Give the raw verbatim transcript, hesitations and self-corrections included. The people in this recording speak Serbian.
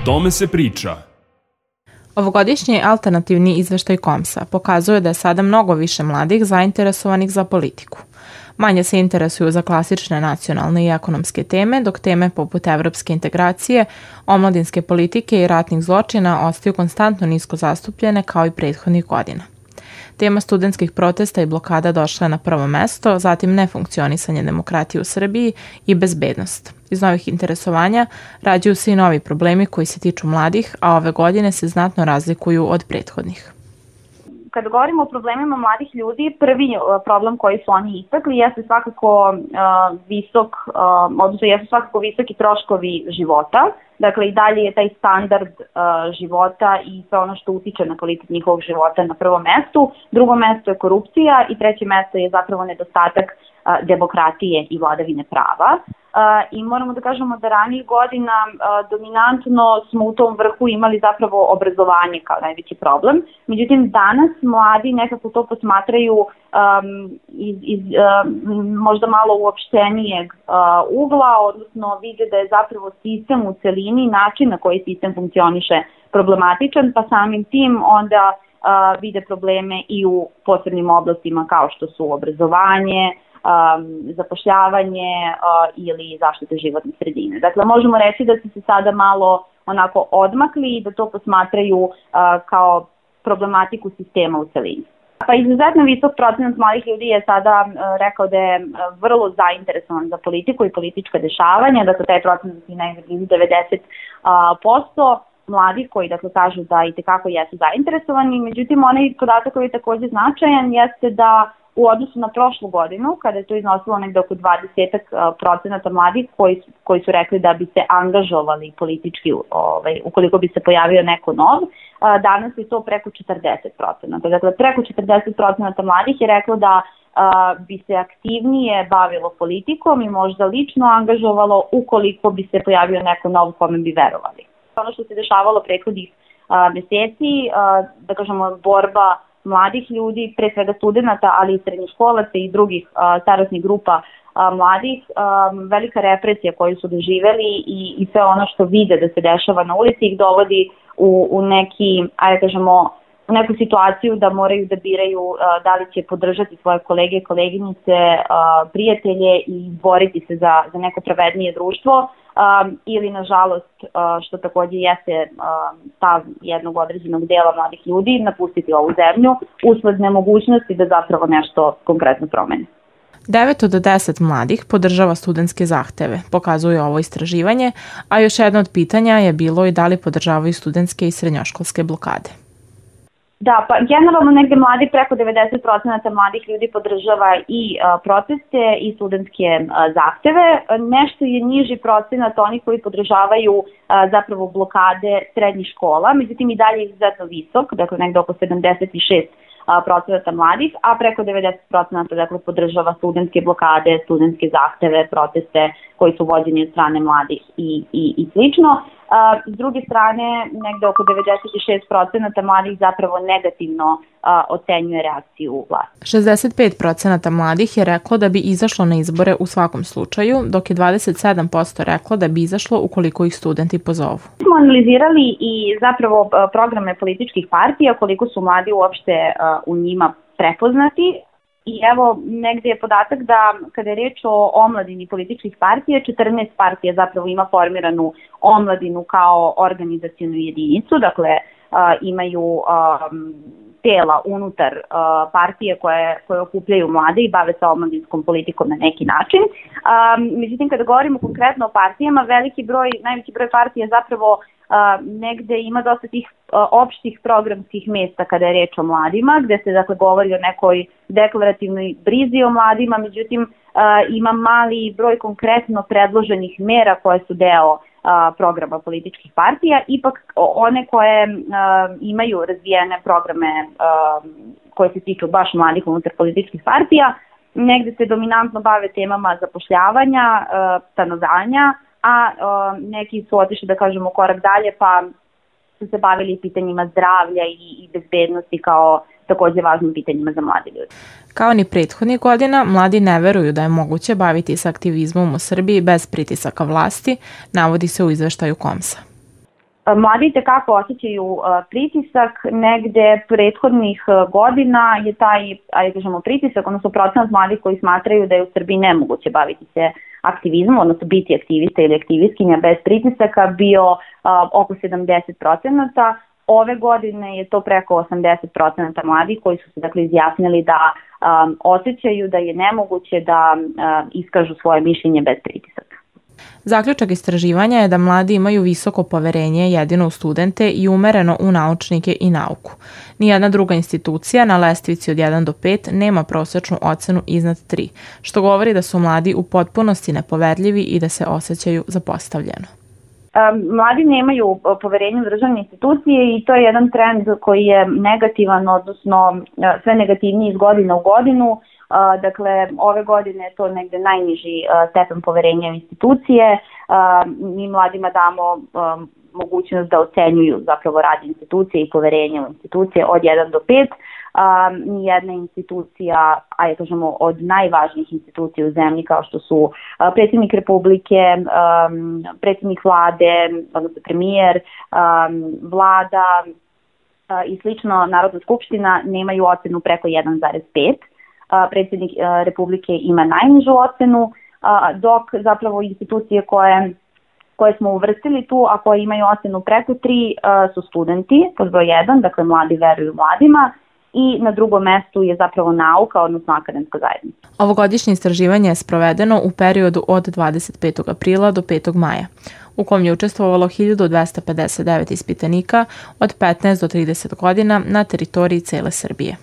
tome se priča. Ovogodišnji alternativni izveštaj Komsa pokazuje da je sada mnogo više mladih zainteresovanih za politiku. Manje se interesuju za klasične nacionalne i ekonomske teme, dok teme poput evropske integracije, omladinske politike i ratnih zločina ostaju konstantno nisko zastupljene kao i prethodnih godina. Tema studentskih protesta i blokada došla je na prvo mesto, zatim nefunkcionisanje demokratije u Srbiji i bezbednost. Iz novih interesovanja rađaju se i novi problemi koji se tiču mladih, a ove godine se znatno razlikuju od prethodnih. Kada govorimo o problemima mladih ljudi, prvi problem koji su oni istakli jeste svakako uh, visok, uh, odnosno jesu svakako visoki troškovi života. Dakle, i dalje je taj standard uh, života i sve ono što utiče na kvalitet njihovog života na prvom mestu. Drugo mesto je korupcija i treće mesto je zapravo nedostatak uh, demokratije i vladavine prava. Uh, I moramo da kažemo da ranijih godina uh, dominantno smo u tom vrhu imali zapravo obrazovanje kao najveći problem. Međutim, danas mladi nekako to posmatraju um, iz, iz um, možda malo uopštenijeg uh, ugla, odnosno vide da je zapravo sistem u celini, način na koji sistem funkcioniše problematičan, pa samim tim onda uh, vide probleme i u posebnim oblastima kao što su obrazovanje, Um, zapošljavanje uh, ili zaštite životne sredine. Dakle, možemo reći da su se sada malo onako odmakli i da to posmatraju uh, kao problematiku sistema u celini. Pa izuzetno visok procenat mladih ljudi je sada uh, rekao da je uh, vrlo zainteresovan za politiku i politička dešavanja, dakle taj procenat je negdje blizu devedeset posto mladih koji dakle kažu da i tekako jesu zainteresovani, međutim onaj podatak koji je također značajan jeste da u odnosu na prošlu godinu, kada je to iznosilo negde oko dvadeset procenata mladih koji, koji su rekli da bi se angažovali politički ovaj, ukoliko bi se pojavio neko nov, danas je to preko četrdeset procenata. Dakle, preko četrdeset procenata mladih je reklo da a, bi se aktivnije bavilo politikom i možda lično angažovalo ukoliko bi se pojavio neko nov kome bi verovali. Ono što se dešavalo prethodnih a, meseci, a, da kažemo, borba mladih ljudi, pre svega studenta, ali i srednjoškolaca i drugih a, starosnih grupa a, mladih, a, velika represija koju su doživeli i, i sve ono što vide da se dešava na ulici ih dovodi u, u neki, ajde kažemo, u neku situaciju da moraju da biraju a, da li će podržati svoje kolege, koleginice, a, prijatelje i boriti se za, za neko pravednije društvo. Um, ili nažalost, uh, što također jeste uh, stav jednog određenog dela mladih ljudi, napustiti ovu zemlju usled nemogućnosti da zapravo nešto konkretno promene. devet od deset mladih podržava studentske zahteve, pokazuje ovo istraživanje, a još jedno od pitanja je bilo i da li podržavaju studentske i srednjoškolske blokade. Da, pa generalno negde mladi, preko devedeset procenata mladih ljudi podržava i a, proteste i studentske a, zahteve. Nešto je niži procenat onih koji podržavaju a, zapravo blokade srednjih škola, međutim i dalje je izuzetno visok, dakle negde oko sedamdeset šest procenata mladih, a preko devedeset procenata dakle podržava studentske blokade, studentske zahteve, proteste koji su vođeni od strane mladih i, i, i slično. Uh, s druge strane, negde oko devedeset šest procenata mladih zapravo negativno uh, ocenjuje reakciju vlasti. šezdeset pet procenata mladih je reklo da bi izašlo na izbore u svakom slučaju, dok je dvadeset sedam posto reklo da bi izašlo ukoliko ih studenti pozovu. Smo analizirali i zapravo uh, programe političkih partija, koliko su mladi uopšte uh, u njima prepoznati. I evo, negde je podatak da kada je reč o omladini političkih partija, četrnaest partija zapravo ima formiranu omladinu kao organizacionu jedinicu, dakle uh, imaju um, tela unutar uh, partije koje, koje okupljaju mlade i bave se omladinskom politikom na neki način. Um, međutim, kada govorimo konkretno o partijama, veliki broj, najveći broj partija zapravo Uh, negde ima dosta tih uh, opštih programskih mesta kada je reč o mladima, gde se dakle govori o nekoj deklarativnoj brizi o mladima, međutim uh, ima mali broj konkretno predloženih mera koje su deo uh, programa političkih partija, ipak one koje uh, imaju razvijene programe uh, koje se tiču baš mladih unutar političkih partija, negde se dominantno bave temama zapošljavanja, uh, stanovanja, a o, neki su otišli, da kažemo, korak dalje, pa su se bavili pitanjima zdravlja i, i bezbednosti kao takođe važnim pitanjima za mladi ljudi. Kao ni prethodnih godina, mladi ne veruju da je moguće baviti se aktivizmom u Srbiji bez pritisaka vlasti, navodi se u izveštaju Komsa. Mladi tekako osjećaju pritisak, negde prethodnih godina je taj, ajde kažemo, pritisak, odnosno procenat mladih koji smatraju da je u Srbiji nemoguće baviti se aktivizmom, odnosno biti aktivista ili aktivistkinja bez pritisaka, bio oko sedamdeset procenata. Ove godine je to preko osamdeset procenata mladih koji su se dakle izjasnili da um, osjećaju da je nemoguće da um, iskažu svoje mišljenje bez pritisaka. Zaključak istraživanja je da mladi imaju visoko poverenje jedino u studente i umereno u naučnike i nauku. Nijedna druga institucija na lestvici od jedan do pet nema prosečnu ocenu iznad tri, što govori da su mladi u potpunosti nepoverljivi i da se osjećaju zapostavljeno. Mladi nemaju poverenje u državne institucije i to je jedan trend koji je negativan, odnosno sve negativniji iz godine u godinu. Dakle, ove godine je to negde najniži stepen poverenja u institucije. Mi mladima damo mogućnost da ocenjuju zapravo rad institucije i poverenje u institucije od jedan do pet. Nijedna institucija, ajde kažemo od najvažnijih institucija u zemlji kao što su predsjednik Republike, predsjednik vlade, odnosno premijer, vlada i slično, Narodna skupština nemaju ocenu preko jedan zarez pet. Predsjednik Republike ima najnižu ocenu, dok zapravo institucije koje, koje smo uvrstili tu, a koje imaju ocenu preko tri, su studenti, pod broj jedan, dakle mladi veruju mladima, i na drugom mestu je zapravo nauka, odnosno akademska zajednica. Ovogodišnje istraživanje je sprovedeno u periodu od dvadeset petog aprila do petog maja, u kom je učestvovalo hiljadu dvesta pedeset devet ispitanika od petnaest do trideset godina na teritoriji cele Srbije.